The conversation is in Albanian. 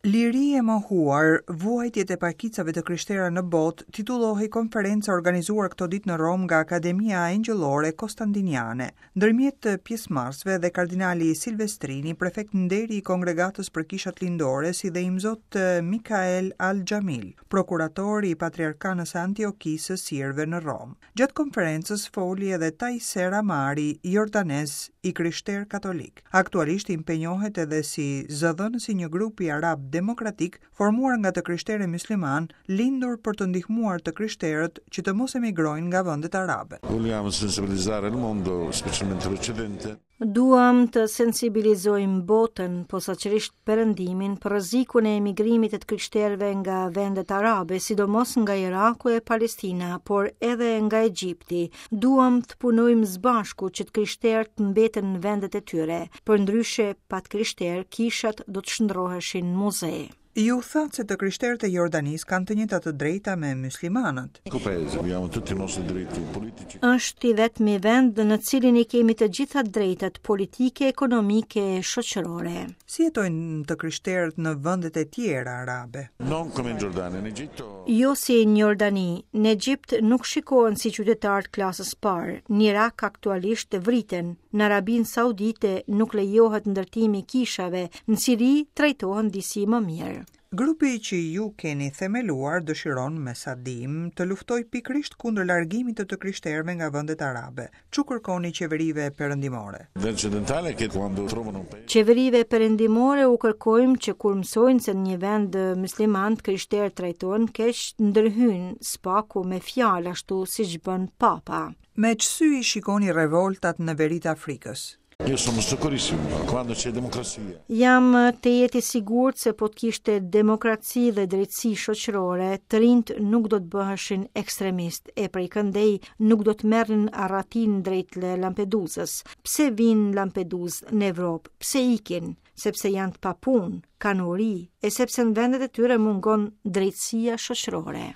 Liri e mohuar, vuajtjet e pakicave të krishtera në botë, titullohej konferenca e organizuar këto ditë në Romë nga Akademia Engjëllore Kostandiniane. Ndërmjet pjesëmarrësve dhe kardinali Silvestrini, prefekt nderi i Kongregatës për Kishat Lindore, si dhe Imzot Mikael Al-Xhamil, prokurator i Patriarkanës së Antiokisë së Sirëve në Romë. Gjatë konferencës foli edhe Tayseer Amari, jordanez i krishterë katolik. Aktualisht impenjohet edhe si zëdhënës i një grupi arab demokratik formuar nga të krishterë e myslimanë, lindur për të ndihmuar të krishterët që të mos emigrojnë nga vendet arabe. Vogliamo sensibilizzare il mondo, specialmente l'Occidente. Duam të sensibilizojmë botën, posaçërisht Perëndimin, për rrezikun e emigrimit të të krishterëve nga vendet arabe, sidomos nga Iraku e Palestina, por edhe nga Egjipti. Duam të punojmë së bashku që të krishterët të mbeten në vendet e tyre. Përndryshe, pa të krishterë, kishat do të shndërroheshin në muze. Ju thatë se të krishterët e Jordanisë kanë të njëjtat të drejta me myslimanët. Është i vetmi vend në të cilin i kemi të gjitha të drejtat politike, ekonomike e shoqërore. Si jetojnë të krishterët në vendet e tjera arabe? Jo si në Jordani, në Egjipt nuk shikohen si qytetarë të klasës parë, në Irak aktualisht vriten, Në Arabinë Saudite nuk lejohet ndërtimi i kishave, në Siri trajtohen disi më mirë. Grupi që ju keni themeluar dëshiron, me sa dimë, të luftojë pikërisht kundër largimit të të krishterëve nga vendet arabe. Ç'u kërkoni qeverive perëndimore? Qeverive perëndimore u kërkojmë që kur mësojnë se në një vend mysliman të krishterët trajtohen keq, të ndërhyjnë, së paku me fjalë ashtu siç bën Papa. Me ç'sy i shikoni revoltat në veri të Afrikës? Io sono sicurissimo, quando c'è democrazia. Jam tejet i sigurt se po të kishte demokraci dhe drejtësi shoqërore, të rinjtë nuk do të bëheshin ekstremistë e prej këndej nuk do të merrnin arratinë drejt Lampeduzës. Pse vijnë në Lampeduzë në Evropë? Pse ikin? Sepse janë të papunë, kanë uri e sepse në vendet e tyre mungon drejtësia shoqërore.